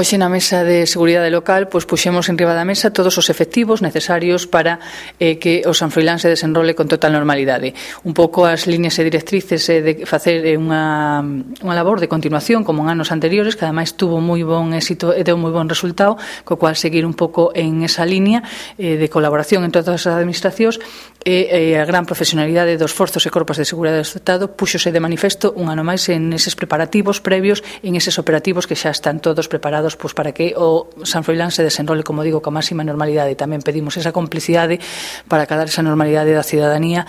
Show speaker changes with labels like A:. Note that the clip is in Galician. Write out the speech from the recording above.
A: Hoxe na mesa de seguridade local puxemos enriba da mesa todos os efectivos necesarios para que o San Froilán se desenrole con total normalidade. Un pouco as líneas e directrices de facer unha labor de continuación como en anos anteriores, que ademais tuvo moi bon éxito e deu moi bon resultado, co cual seguir un pouco en esa línea de colaboración en todas as administracións e a gran profesionalidade dos forzos e corpos de seguridade do Estado puxose de manifesto un ano máis en eses preparativos previos, en eses operativos que xa están todos preparados para que o San Froilán se desenrole, como digo, con máxima normalidade. Tamén pedimos esa complicidade para cadar esa normalidade da cidadanía